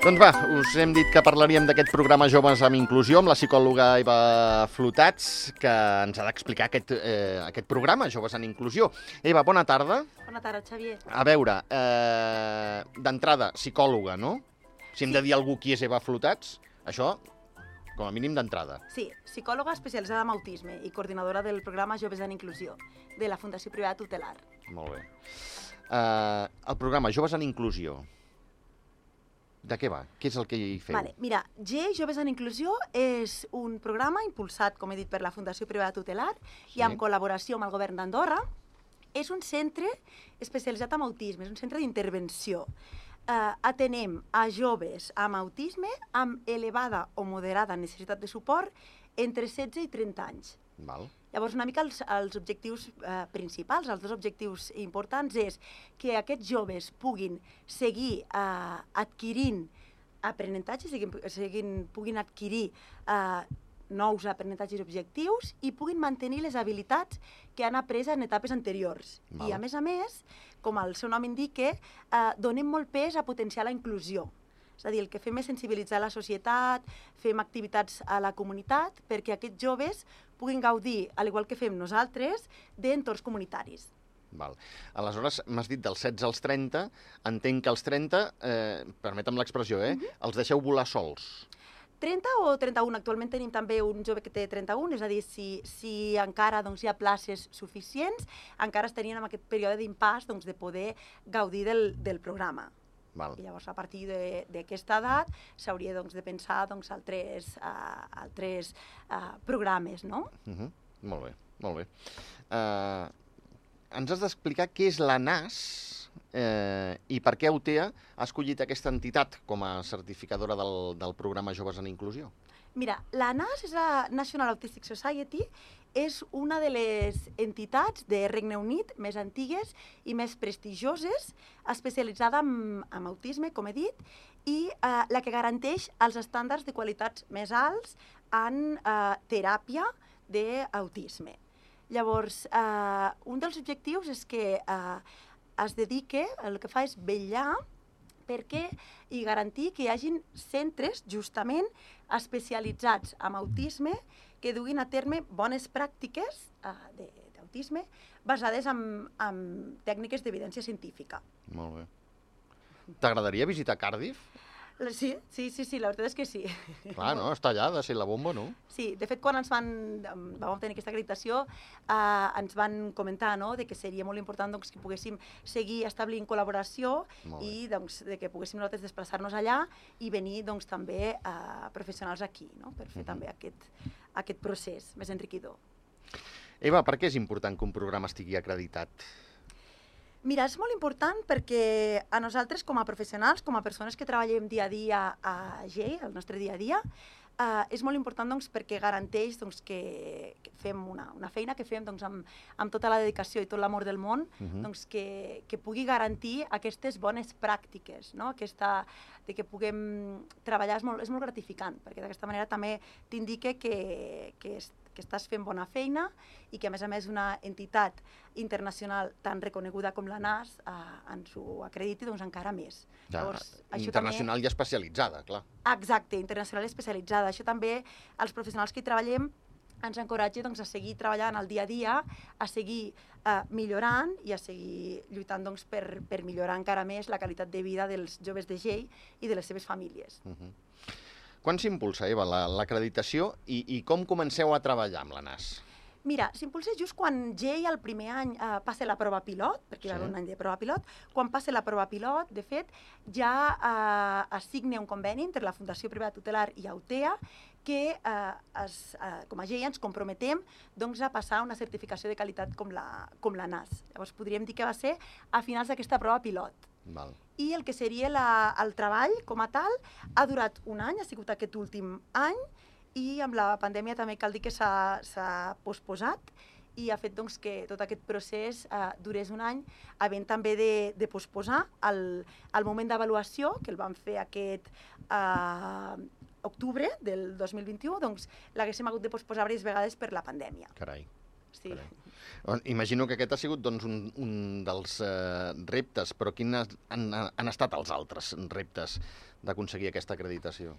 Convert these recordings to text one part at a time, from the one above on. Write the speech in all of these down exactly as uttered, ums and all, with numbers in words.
Doncs va, us hem dit que parlaríem d'aquest programa Joves amb Inclusió amb la psicòloga Eva Flotats, que ens ha d'explicar aquest, eh, aquest programa, Joves en Inclusió. Eva, bona tarda. Bona tarda, Xavier. A veure, eh, d'entrada, psicòloga, no? Si hem Sí. de dir a algú qui és Eva Flotats, això, com a mínim d'entrada. Sí, psicòloga especialitzada en autisme i coordinadora del programa Joves en Inclusió de la Fundació Privada Tutelar. Molt bé. Eh, el programa Joves en Inclusió, de què va? Què és el que hi feu? Vale, mira, G Joves en Inclusió és un programa impulsat, com he dit, per la Fundació Privada Tutelar Sí. i amb col·laboració amb el govern d'Andorra. És un centre especialitzat en autisme, és un centre d'intervenció. Eh, atenem a joves amb autisme amb elevada o moderada necessitat de suport entre setze i trenta anys. Val. Llavors, una mica els, els objectius eh, principals, els dos objectius importants, és que aquests joves puguin seguir eh, adquirint aprenentatges, siguin, siguin, puguin adquirir eh, nous aprenentatges objectius i puguin mantenir les habilitats que han après en etapes anteriors. Val. I, a més a més, com el seu nom indica, eh, donem molt pes a potenciar la inclusió. És a dir, el que fem és sensibilitzar la societat, fem activitats a la comunitat perquè aquests joves puguin gaudir, al igual que fem nosaltres, d'entorns comunitaris. Val. Aleshores, m'has dit dels setze als trenta, entenc que els trenta, eh, permetem l'expressió, eh, Uh-huh. els deixeu volar sols. trenta o trenta-un? Actualment tenim també un jove que té trenta-un, és a dir, si, si encara doncs, hi ha places suficients, encara estarien en aquest període d'impàs doncs, de poder gaudir del, del programa. Val. I llavors, a partir de- d'aquesta edat, s'hauria doncs, de pensar doncs, altres, uh, altres uh, programes, no? Uh -huh. Molt bé, molt bé. Uh, ens has d'explicar què és la N A S eh, i per què UTEA ha escollit aquesta entitat com a certificadora del, del programa Joves en Inclusió. Mira, la N A S és la National Autistic Society, és una de les entitats de Regne Unit més antigues i més prestigioses, especialitzada en, en autisme, com he dit, i eh, la que garanteix els estàndards de qualitats més alts en eh, teràpia d'autisme. Llavors, eh, un dels objectius és que eh, es dedique, el que fa és vetllar perquè i garantir que hi hagin centres justament especialitzats en autisme que duguin a terme bones pràctiques uh, d'autisme basades en, en tècniques d'evidència científica. Molt bé. T'agradaria visitar Cardiff? Sí, sí, sí, sí, la veritat és que sí. Clar, no? Està allà, ha de ser la bomba, no? Sí, de fet, quan ens van, vam obtenir aquesta acreditació, eh, ens van comentar no, de que seria molt important doncs, que poguéssim seguir establint col·laboració i doncs, de que poguéssim nosaltres desplaçar-nos allà i venir doncs, també eh, professionals aquí, no, per fer uh-huh. també aquest, aquest procés més enriquidor. Eva, per què és important que un programa estigui acreditat? Mira, és molt important perquè a nosaltres com a professionals, com a persones que treballem dia a dia a G E I, el nostre dia a dia, eh, és molt important doncs, perquè garanteix doncs, que, que fem una, una feina que fem doncs, amb, amb tota la dedicació i tot l'amor del món, uh-huh. doncs, que, que pugui garantir aquestes bones pràctiques, no? Aquesta, de que puguem treballar és molt, és molt gratificant, perquè d'aquesta manera també t'indica que, que és que estàs fent bona feina i que, a més a més, una entitat internacional tan reconeguda com la N A S eh, ens ho acrediti doncs, encara més. Ja, Llavors, això internacional també... i especialitzada, clar. Exacte, internacional i especialitzada. Això també, els professionals que hi treballem, ens encoratja doncs, a seguir treballant al dia a dia, a seguir eh, millorant i a seguir lluitant doncs, per, per millorar encara més la qualitat de vida dels joves de G E I i de les seves famílies. Uh -huh. Quan s'impulsa, Eva, l'acreditació i, i com comenceu a treballar amb la N A S? Mira, s'impulsa just quan G E I el primer any eh, passa la prova pilot, perquè hi va haver Sí. un any de prova pilot, quan passa la prova pilot, de fet, ja eh, es signa un conveni entre la Fundació Privada Tutelar i UTEA que eh, es, eh, com a G E I ens comprometem doncs, a passar una certificació de qualitat com la, com la N A S. Llavors podríem dir que va ser a finals d'aquesta prova pilot. Val. I el que seria la, el treball com a tal ha durat un any, ha sigut aquest últim any, i amb la pandèmia també cal dir que s'ha posposat i ha fet doncs, que tot aquest procés eh, durés un any, havent també de, de posposar el, el moment d'avaluació, que el vam fer aquest eh, octubre del dos mil vint-i-u, doncs l'haguéssim hagut de posposar diverses vegades per la pandèmia. Carai. sí. Imagino que aquest ha sigut doncs, un, un dels eh, reptes, però quins han, han estat els altres reptes d'aconseguir aquesta acreditació?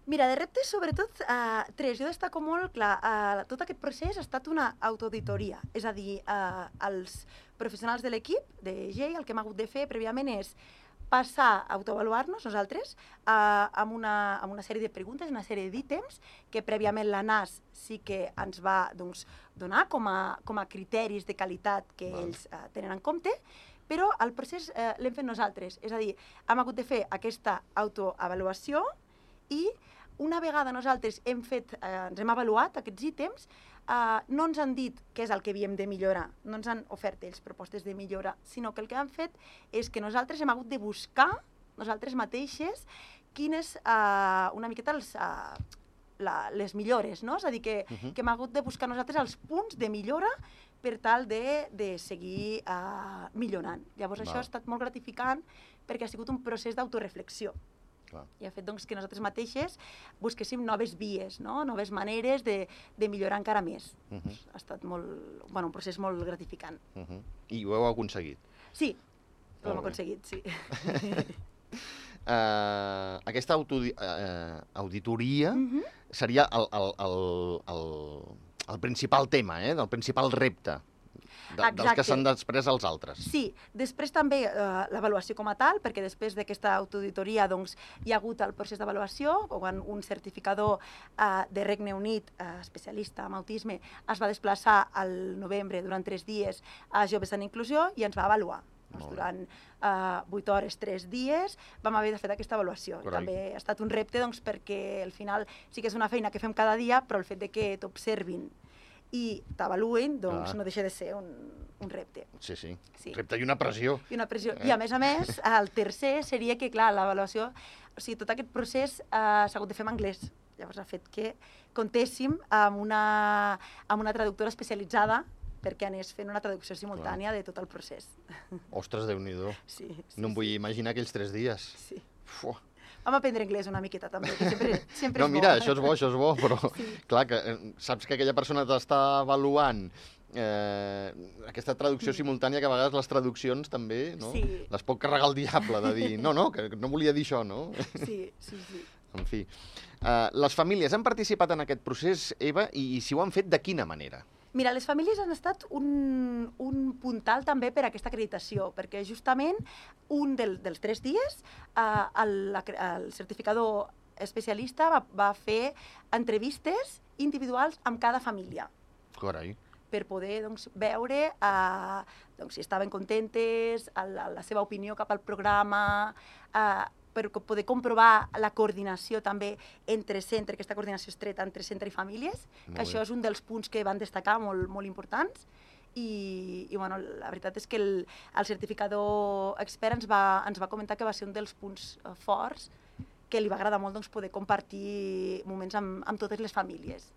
Mira, de reptes, sobretot, eh, tres. Jo destaco molt, clar, eh, tot aquest procés ha estat una autoauditoria. És a dir, eh, els professionals de l'equip, de G E I, el que hem hagut de fer prèviament és passar a autoavaluar-nos nosaltres eh, amb, una, amb una sèrie de preguntes, una sèrie d'ítems que prèviament la N A S sí que ens va doncs, donar com a, com a criteris de qualitat que Val. ells eh, tenen en compte, però el procés eh, l'hem fet nosaltres. És a dir, hem hagut de fer aquesta autoavaluació i una vegada nosaltres hem fet, eh, ens hem avaluat aquests ítems, eh, no ens han dit què és el que havíem de millorar, no ens han ofert ells propostes de millora, sinó que el que han fet és que nosaltres hem hagut de buscar, nosaltres mateixes, quines, eh, una miqueta els, eh, la, les millores, no? És a dir, que, uh -huh. que hem hagut de buscar nosaltres els punts de millora per tal de, de seguir eh, millorant. Llavors Val. Això ha estat molt gratificant perquè ha sigut un procés d'autoreflexió. Clar. I ha fet doncs, que nosaltres mateixes busquéssim noves vies, no? Noves maneres de, de millorar encara més. Uh -huh. Ha estat molt, bueno, un procés molt gratificant. Uh -huh. I ho heu aconseguit? Sí, ho hem aconseguit, sí. uh, aquesta autodi uh, auditoria uh -huh. seria el, el, el, el, el principal tema, eh? El principal repte. De, dels que s'han després els altres. Sí, després també eh, l'avaluació com a tal, perquè després d'aquesta autoauditoria doncs, hi ha hagut el procés d'avaluació, quan un certificador eh, de Regne Unit, eh, especialista en autisme, es va desplaçar al novembre durant tres dies a Joves en Inclusió i ens va avaluar. Doncs, durant eh, vuit hores, tres dies, vam haver de fer aquesta avaluació. També ha estat un repte doncs, perquè al final sí que és una feina que fem cada dia, però el fet de que t'observin i t'avaluen, doncs ah. no deixa de ser un, un repte. Sí, sí, sí, repte i una pressió. I una pressió. Eh? I a més a més, el tercer seria que, clar, l'avaluació, o sigui, tot aquest procés eh, s'ha hagut de fer en anglès. Llavors ha fet que comptéssim amb una, amb una traductora especialitzada perquè anés fent una traducció simultània clar. De tot el procés. Ostres, Déu-n'hi-do. Sí, sí, no em vull sí. imaginar aquells tres dies. Sí. Fuà. Vam aprendre anglès una miqueta, també, que sempre, sempre no, és bo. mira, això és bo, això és bo, però sí. clar, que saps que aquella persona t'està avaluant eh, aquesta traducció sí. simultània, que a vegades les traduccions també, no? Sí. Les pot carregar el diable de dir, no, no, que no volia dir això, no? Sí, sí, sí. En fi. Uh, les famílies han participat en aquest procés, Eva, i, i si ho han fet, de quina manera? Mira, les famílies han estat un, un puntal també per a aquesta acreditació, perquè justament un del, dels tres dies eh, el, el certificador especialista va, va fer entrevistes individuals amb cada família. Carai. Per poder doncs, veure eh, doncs, si estaven contentes, la, la seva opinió cap al programa, eh, per poder comprovar la coordinació també entre centre, aquesta coordinació estreta entre centre i famílies, molt que bé. Això és un dels punts que van destacar molt, molt importants. I, i bueno, la veritat és que el, el certificador expert ens va, ens va comentar que va ser un dels punts uh, forts que li va agradar molt doncs, poder compartir moments amb, amb totes les famílies.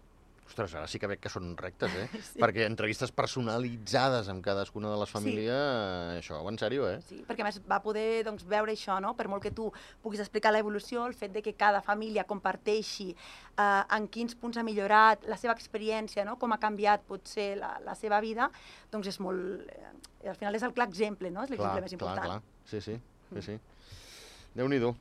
Ostres, ara sí que veig que són rectes, eh? Sí. Perquè entrevistes personalitzades amb cadascuna de les famílies, sí. això, en sèrio, eh? Sí, perquè a més va poder doncs, veure això, no? Per molt que tu puguis explicar l'evolució, el fet de que cada família comparteixi eh, en quins punts ha millorat la seva experiència, no? Com ha canviat potser la, la seva vida, doncs és molt... Eh, al final és el clar exemple, no? És l'exemple més important. Clar, clar, sí, sí, sí, sí. Déu-n'hi-do.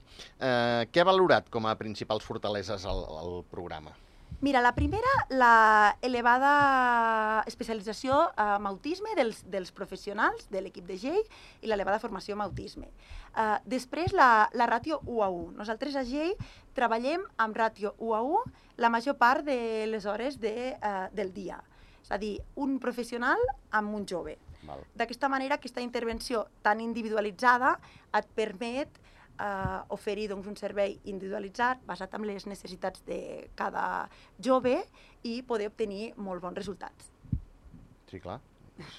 Eh, què ha valorat com a principals fortaleses el, el programa? Mira, la primera, la elevada especialització en autisme dels, dels professionals de l'equip de G E I i l'elevada formació en autisme. Uh, després, la, la ràtio u a u. Nosaltres a G E I treballem amb ràtio u a u la major part de les hores de, uh, del dia. És a dir, un professional amb un jove. D'aquesta manera, aquesta intervenció tan individualitzada et permet Uh, oferir doncs, un servei individualitzat basat en les necessitats de cada jove i poder obtenir molt bons resultats. Sí, clar. És,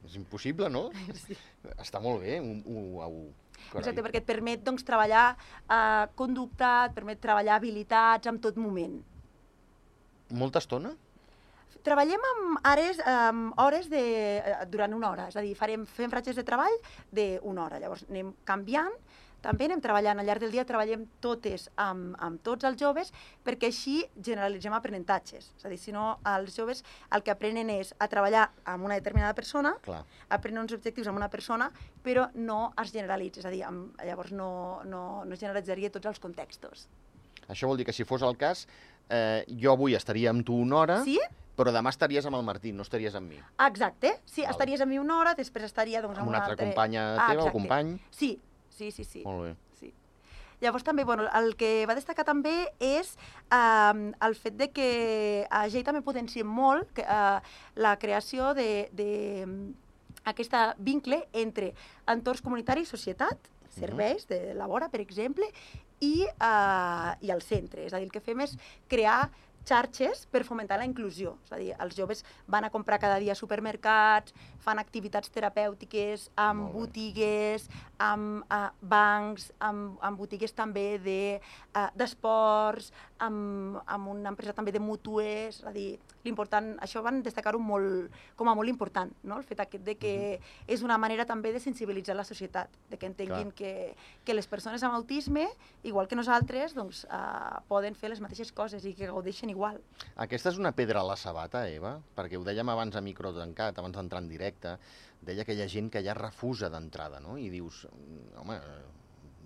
és impossible, no? Sí. Està molt bé, un u a u. Exacte, perquè et permet doncs, treballar uh, conducta, et permet treballar habilitats en tot moment. Molta estona? Treballem amb hores, amb hores de, durant una hora, és a dir, farem, fem ratxes de treball d'una hora, llavors anem canviant també anem treballant, al llarg del dia treballem totes amb, amb tots els joves perquè així generalitzem aprenentatges. És a dir, si no, els joves el que aprenen és a treballar amb una determinada persona, Clar. aprenen uns objectius amb una persona, però no es generalitza, és a dir, amb, llavors no, no, no generalitzaria tots els contextos. Això vol dir que si fos el cas, eh, jo avui estaria amb tu una hora, Sí? però demà estaries amb el Martí, no estaries amb mi. Exacte, sí, Val. estaries amb mi una hora, després estaria doncs, Amb amb una altra companya teva o exacte. company? Sí, sí, sí, sí. Molt bé. Sí. Llavors també, bueno, el que va destacar també és eh, el fet de que a G també potenciem molt que, eh, la creació de, de aquesta vincle entre entorns comunitaris, societat, serveis de la vora, per exemple, i, eh, i el centre. És a dir, el que fem és crear xarxes per fomentar la inclusió. És a dir, els joves van a comprar cada dia a supermercats, fan activitats terapèutiques amb Molt bé. botigues, amb uh, bancs, amb, amb botigues també de, uh, d'esports, amb, amb una empresa també de mútues. És a dir, l'important, això van destacar-ho molt, com a molt important, no? El fet aquest de que uh-huh. és una manera també de sensibilitzar la societat, de que entenguin que, que les persones amb autisme, igual que nosaltres, doncs, uh, poden fer les mateixes coses i que gaudeixen igual. Aquesta és una pedra a la sabata, Eva, perquè ho dèiem abans a micro tancat, abans d'entrar en directe, deia que hi ha gent que ja refusa d'entrada, no? I dius, home,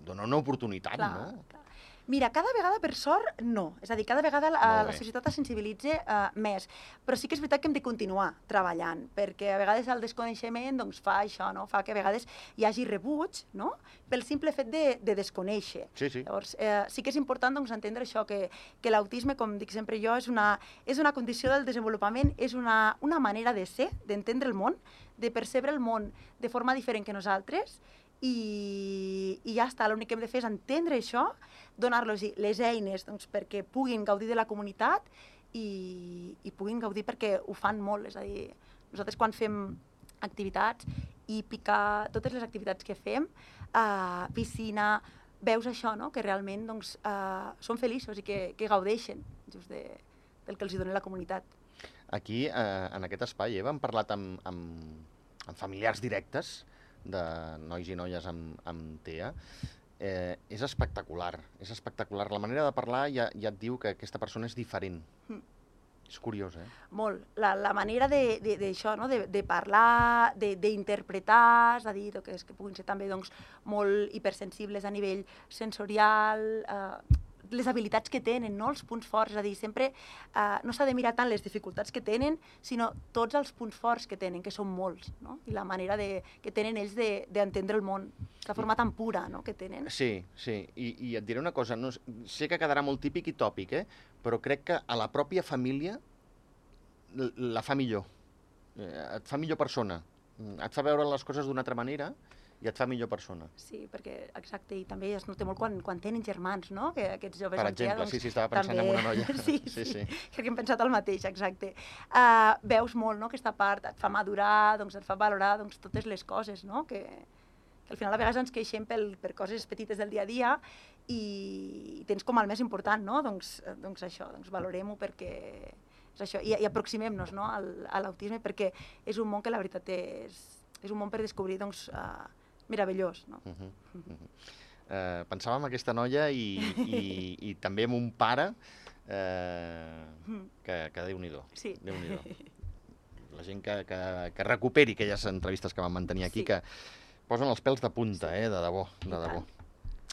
dona una oportunitat, Clar, no? clar. Mira, cada vegada, per sort, no. És a dir, cada vegada la, Molt la bé. societat es sensibilitza uh, més. Però sí que és veritat que hem de continuar treballant, perquè a vegades el desconeixement doncs, fa això, no? Fa que a vegades hi hagi rebuig, no? Pel simple fet de, de desconèixer. Sí, sí. Llavors, eh, sí que és important doncs, entendre això, que, que l'autisme, com dic sempre jo, és una, és una condició del desenvolupament, és una, una manera de ser, d'entendre el món, de percebre el món de forma diferent que nosaltres, i, i ja està, l'únic que hem de fer és entendre això, donar-los les eines doncs, perquè puguin gaudir de la comunitat i, i puguin gaudir perquè ho fan molt. És a dir, nosaltres quan fem activitats, hípica, totes les activitats que fem, eh, piscina, veus això, no? Que realment doncs, eh, són feliços i que, que gaudeixen just de, del que els dona la comunitat. Aquí, eh, en aquest espai, Eva, hem parlat amb, amb, amb familiars directes de nois i noies amb, amb T E A. Eh, és espectacular, és espectacular. La manera de parlar ja, ja et diu que aquesta persona és diferent. Mm. És curiós, eh? Molt. La, la manera d'això, no? de, de parlar, d'interpretar, és a dir, que, és que puguin ser també doncs, molt hipersensibles a nivell sensorial, eh, les habilitats que tenen, no? Els punts forts, és a dir, sempre eh, no s'ha de mirar tant les dificultats que tenen, sinó tots els punts forts que tenen, que són molts, no? I la manera de, que tenen ells d'entendre el món, la forma tan pura, no?, que tenen. Sí, sí, I, i et diré una cosa, no, sé que quedarà molt típic i tòpic, eh? Però crec que a la pròpia família la fa millor, et fa millor persona, et fa veure les coses d'una altra manera i et fa millor persona. Sí, perquè, exacte, i també es nota molt quan, quan tenen germans, no?, que aquests joves... Per exemple, doncs, sí, sí, estava pensant també... en una noia. sí, sí, sí, sí. crec que hem pensat el mateix, exacte. Uh, veus molt, no?, aquesta part, et fa madurar, doncs et fa valorar doncs, totes les coses, no?, que, que al final a vegades ens queixem pel, per coses petites del dia a dia i tens com el més important, no?, doncs, doncs això, doncs valorem-ho perquè... és això, i, i aproximem-nos, no?, al, a l'autisme perquè és un món que la veritat és, és un món per descobrir, doncs, uh, meravellós, no? Uh -huh, uh -huh. Uh, pensava en aquesta noia i, i, i també en un pare eh, que, que Déu-n'hi-do. Sí. Déu-n'hi-do. La gent que, que, que recuperi aquelles entrevistes que vam mantenir aquí, Sí. que posen els pèls de punta, eh, de debò, I de debò. tant.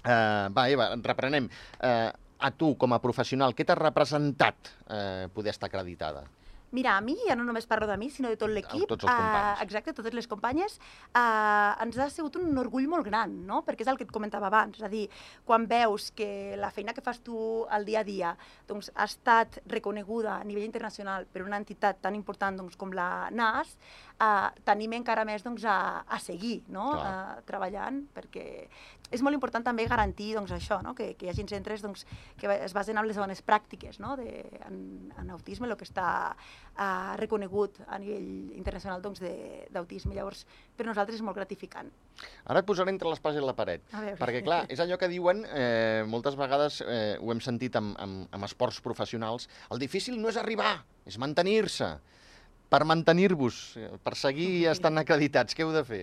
Uh, va, Eva, reprenem. Uh, a tu, com a professional, què t'ha representat eh, poder estar acreditada? Mira, a mi, ja no només parlo de mi, sinó de tot l'equip. Tots els companys. Uh, exacte, totes les companyes. Uh, ens ha sigut un orgull molt gran, no?, perquè és el que et comentava abans. És a dir, quan veus que la feina que fas tu al dia a dia doncs, ha estat reconeguda a nivell internacional per una entitat tan important doncs, com la N A S, uh, t'anima encara més doncs, a, a seguir, no?, uh, treballant, perquè és molt important també garantir doncs, això, no?, que, que hi hagi centres doncs, que es basen en les bones pràctiques, no?, de, en, en autisme, el que està uh, reconegut a nivell internacional doncs, d'autisme. Llavors, per nosaltres és molt gratificant. Ara et posaré entre l'espasa i la paret, perquè, clar, és allò que diuen, eh, moltes vegades eh, ho hem sentit amb, amb, amb esports professionals, el difícil no és arribar, és mantenir-se. per mantenir-vos, per seguir estant acreditats, què heu de fer?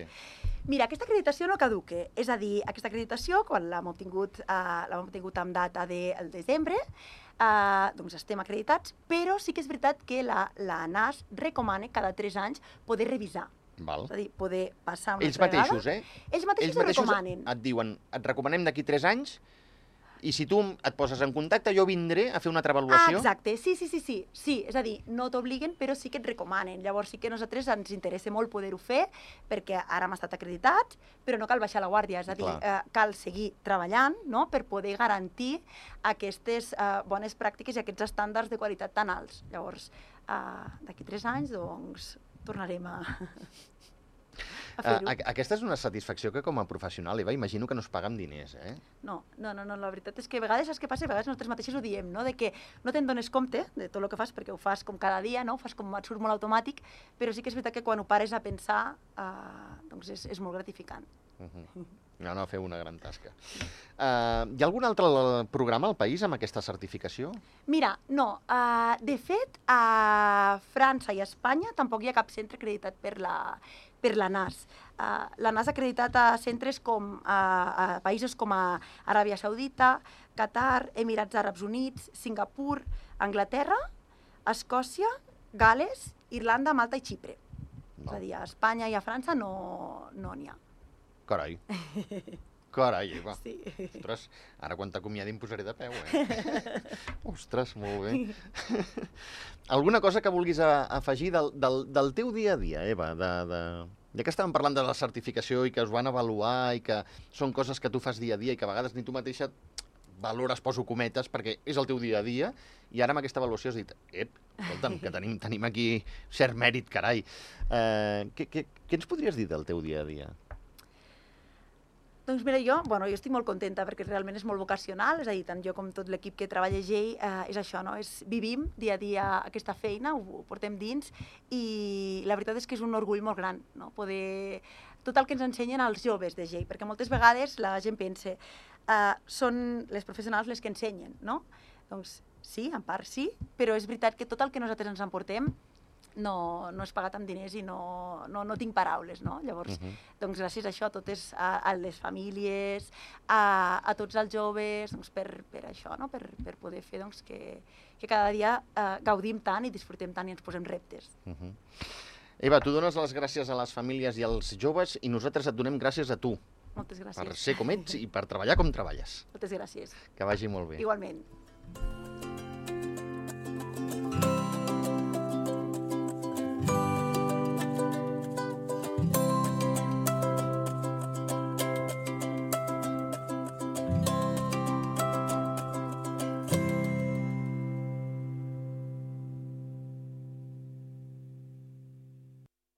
Mira, aquesta acreditació no caduque, és a dir, aquesta acreditació, quan l'hem obtingut, eh, l'hem obtingut amb data del de, desembre, eh, doncs estem acreditats, però sí que és veritat que la, la N A S recomana cada tres anys poder revisar. Val. És a dir, poder passar una Ells altra mateixos, vegada. eh? Ells mateixos, Ells mateixos ho recomanen. et diuen, et recomanem d'aquí tres anys, i si tu et poses en contacte, jo vindré a fer una altra Ah, avaluació. exacte, sí, sí, sí, sí, sí, és a dir, no t'obliguen, però sí que et recomanen. Llavors sí que a nosaltres ens interessa molt poder-ho fer, perquè ara hem estat acreditats, però no cal baixar la guàrdia, és a dir, eh, cal seguir treballant, no?, per poder garantir aquestes eh, bones pràctiques i aquests estàndards de qualitat tan alts. Llavors, eh, d'aquí tres anys, doncs, tornarem a... Uh, aquesta és una satisfacció que com a professional, Eva, imagino que no es paga amb diners, eh? No, no, no, no, la veritat és que a vegades saps què passa? A vegades nosaltres mateixos ho diem, no? De que no te'n dones compte de tot el que fas, perquè ho fas com cada dia, no? Ho fas com et surt molt automàtic, però sí que és veritat que quan ho pares a pensar, uh, doncs és, és molt gratificant. Uh -huh. No, no, feu una gran tasca. Uh, hi ha algun altre programa al país amb aquesta certificació? Mira, no. Uh, de fet, a França i a Espanya tampoc hi ha cap centre acreditat per la, per la N A S. Uh, la N A S ha acreditat a centres com a, a països com a Aràbia Saudita, Qatar, Emirats Àrabs Units, Singapur, Anglaterra, Escòcia, Gales, Irlanda, Malta i Xipre. No. És a dir, a Espanya i a França no n'hi no ha. Carai. Carai, Eva. Sí. Ostres, ara quan t'acomiadi em posaré de peu, eh? Ostres, molt bé. Alguna cosa que vulguis afegir del, del, del teu dia a dia, Eva? De, de... Ja que estàvem parlant de la certificació i que us van avaluar i que són coses que tu fas dia a dia i que a vegades ni tu mateixa valores, poso cometes, perquè és el teu dia a dia, i ara amb aquesta avaluació has dit, ep, escolta'm, que tenim, tenim aquí cert mèrit, carai. Eh, què, què, què ens podries dir del teu dia a dia? Doncs mira, jo, bueno, jo estic molt contenta perquè realment és molt vocacional, és a dir, tant jo com tot l'equip que treballa a G E I, eh, és això, no? És, vivim dia a dia aquesta feina, ho, ho portem dins, i la veritat és que és un orgull molt gran, no? Poder... Tot el que ens ensenyen els joves de G E I, perquè moltes vegades la gent pensa, eh, són les professionals les que ensenyen, no? Doncs sí, en part sí, però és veritat que tot el que nosaltres ens emportem no, no és pagat amb diners i no, no, no tinc paraules, no? Llavors, uh -huh. doncs gràcies a això, a totes a, a les famílies, a, a tots els joves, doncs per, per això, no? Per, per poder fer doncs, que, que cada dia eh, gaudim tant i disfrutem tant i ens posem reptes. Uh -huh. Eva, tu dones les gràcies a les famílies i als joves i nosaltres et donem gràcies a tu. Moltes gràcies. Per ser com ets i per treballar com treballes. Moltes gràcies. Que vagi molt bé. Igualment.